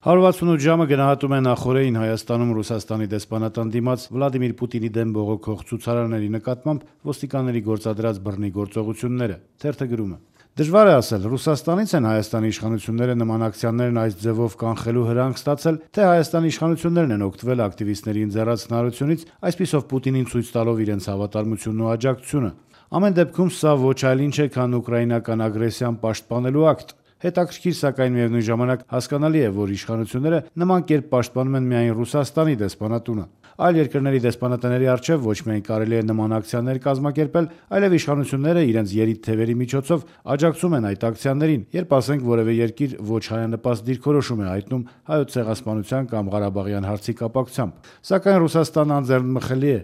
168 ժամը գնահատում է նախօրեին Հայաստանում Ռուսաստանի դեսպանատան դիմաց Վլադիմիր Պուտինի դեմ բողոքող ցուցարարների նկատմամբ ոստիկանների գործադրած բռնի գործողությունները։ Թերթը գրում է. Դժվար է ասել, Ռուսաստանից են Հայաստանի իշխանությունները նման ակցիաներն այս ձևով կանխելու հրանք ստացել, թե Հայաստանի իշխանություններն են օգտվել ակտիվիստների ընձեռած հնարությունից, այսպիսով Պուտինին ցույց տալով իրենց հավատարմությունն ու աջակցությունը։ Ամեն դեպքում սա ոչ այլ ինչ է, քան ուկրաինական ագրեսիան պաշտպանելու ակտ։ Հետաքրքիր, սակայն միևնույն ժամանակ հասկանալի է, որ իշխանությունները նման կերպ պաշտպանում են միայն Ռուսաստանի դեսպանատունը։ Այլ երկրների դեսպանատների առջև ոչ միայն կարելի է նման ակցիաներ կազմակերպել, այլև իշխանությունները իրենց երիտ թևերի միջոցով աջակցում են այդ ակցիաներին, երբ ասենք որևէ երկիր ոչ հայանպաստ դիրքորոշում է հայտնում հայոց ցեղասպանության կամ Ղարաբաղյան հարցի կապակցությամբ։ Սակայն Ռուսաստանը անձեռնմխելի է։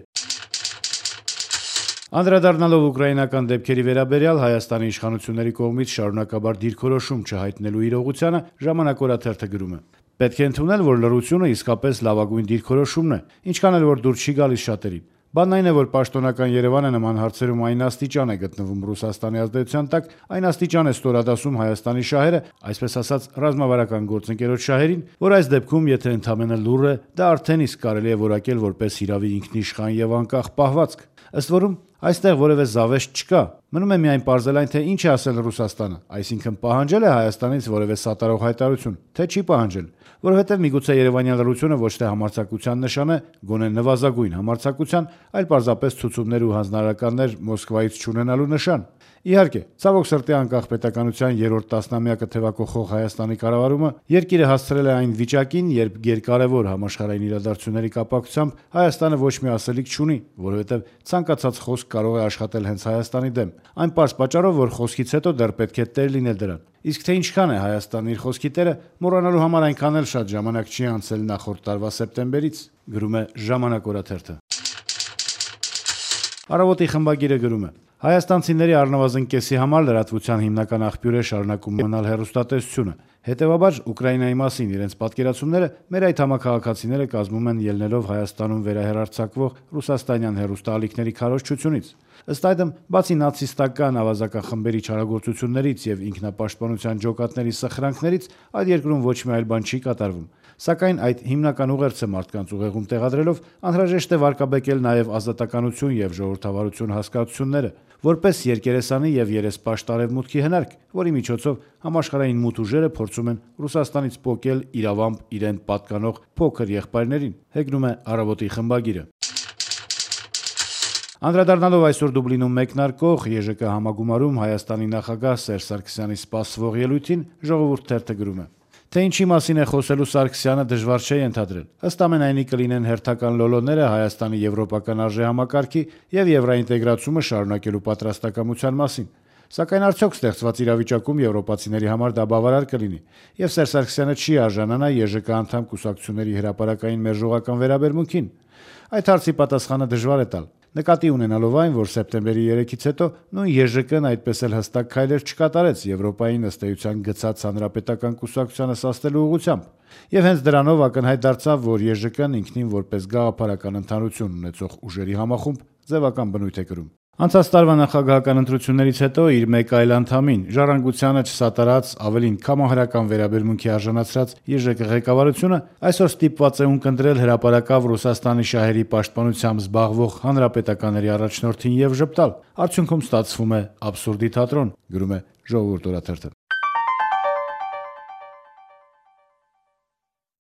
Անդրադառնալով ուկրաինական դեպքերի վերաբերյալ Հայաստանի իշխանությունների կողմից շարունակաբար դիրքորոշում չհայտնելու իրողությանը Ժամանակ օրաթերթը գրում է. Պետք է ընդունել, որ լռությունը իսկապես լավագույն դիրքորոշումն է, ինչքան էլ որ դուր չի գալիս շատերին։ Բանն այն է, որ պաշտոնական Երևանը նման հարցերում այն աստիճան է գտնվում Ռուսաստանի ազդեցության տակ, այն աստիճան է ստորադասում Հայաստանի շահերը, այսպես ասած ռազմավարական գործընկերոջ շահերին, որ այս դեպքում, եթե ընդամենը լուռ է, դա արդեն իսկ կարելի է որակել որպես հիրավի ինքնիշխան եւ անկախ պահվածք։ Ըստ որում, այստեղ որևէ զավեշտ չկա։ Մնում է միայն պարզել այն, թե ինչ է ասել Ռուսաստանը, այսինքն պահանջել է Հայաստանից որևէ սատարող հայտարարություն, թե չի պահանջել, որովհետև միգուցե երևանյան լռությունը ոչ թե համարձակության նշան է, գոնե նվազագույն համարձակության, այլ պարզապես ցուցումներ ու հանձնարարականներ Մոսկվայից չունենալու նշան։ Իհարկե, ցավոք սրտի անկախ պետականության երրորդ տասնամյակը թևակողող Հայաստանի կառավարումը երկիրը հասցրել է այն վիճակին, երբ գերկարևոր համաշխարհային իրադարձությունների կապակցությամբ Հայաստանը ոչ մի ասելիք չունի, որովհետև ցանկացած խոսք կարող է աշխատել հենց Հայաստանի դեմ, այն պարզ պատճառով, որ խոսքից հետո դեռ պետք է տեր լինել դրան։ Իսկ թե ինչքան է Հայաստանն իր խոսքի տերը, մոռանալու համար այնքան էլ շատ ժամանակ չի անցել նախորդ տարվա սեպտեմբերից, գրում է Ժամանակ օրաթերթը։ Առավոտի խմբագիրը գրում է. Հայաստանցիների առնվազն կեսի համար լրատվության հիմնական աղբյուր է շարունակում մնալ հեռուստատեսությունը։ Հետևաբար, Ուկրաինայի մասին իրենց պատկերացումները մեր այդ համաքաղաքացիները կազմում են ելնելով Հայաստանում վերահեռարձակվող ռուսաստանյան հեռուստաալիքների քարոզչությունից։ Ըստ այդմ, բացի նացիստական ավազական խմբերի չարագործություններից եւ ինքնապաշտպանության ջոկատների սխրանքներից, այդ երկրում ոչ մի այլ բան չի կատարվում։ Սակայն այդ հիմնական ուղերձը մարդկանց ուղեղում տեղադրելով անհրաժեշտ է վարկաբեկել նաև ազատականություն եւ ժողովրդավարություն հասկացությունները, որպես երկերեսանի եւ երեսպաշտ արևմուտքի հնարք, որի միջոցով համաշխարհային մութ ուժերը փորձում են Ռուսաստանից պոկել իրավամբ իրեն պատկանող փոքր եղբայրներին, հեգնում է Առավոտի խմբագիրը։ Անդրադառնալով այսօր Դուբլինում մեկնարկող ԵԺԿ համագումարում Հայաստանի նախագահ Սերժ Սարգսյանի սպասվող ելույթին Ժողովուրդ թերթը գրում է. Թե ինչի մասին է խոսելու Սարգսյանը դժվար չէ ենթադրել։ Ըստ ամենայնի կլինեն հերթական լոլոները Հայաստանի եվրոպական արժեհամակարգի եւ եվրոինտեգրացումը շարունակելու պատրաստակամության մասին։ Սակայն արդյոք ստեղծված իրավիճակում եվրոպացիների համար դա բավարար կլինի, եւ Սերժ Սարգսյանը չի արժանանա ԵԺԿ անդամ կուսակցությունների հրապարակային մերժողական վերաբերմունքին։ Այդ հարցի պատասխանը դժվար է տալ։ Նկատի ունենալով այն, որ սեպտեմբերի 3-ից հետո նույն ԵԺԿ-ն այդպես էլ հստակ քայլեր չկատարեց Եվրոպային ըստ էության գծած հանրապետական կուսակցությանը սաստելու ուղղությամբ, եւ հենց դրանով ակնհայտ դարձավ, որ ԵԺԿ-ն ինքնին որպես գաղափարական ընդհանրություն ունեցող ուժերի համախումբ ձևական բնույթ է կրում։ Անցած տարվա նախագահական ընտրություններից հետո իր մեկ այլ անդամին ժառանգությանը չսատարած, ավելին կամահարական վերաբերմունքի արժանացրած ԵԺԿ ղեկավարությունը այսօր ստիպված է ունկնդրել հրապարակավ Ռուսաստանի շահերի պաշտպանությամբ զբաղվող հանրապետականների առաջնորդին եւ ժպտալ։ Արդյունքում ստացվում է աբսուրդի թատրոն, գրում է Ժողովուրդ օրաթերթը։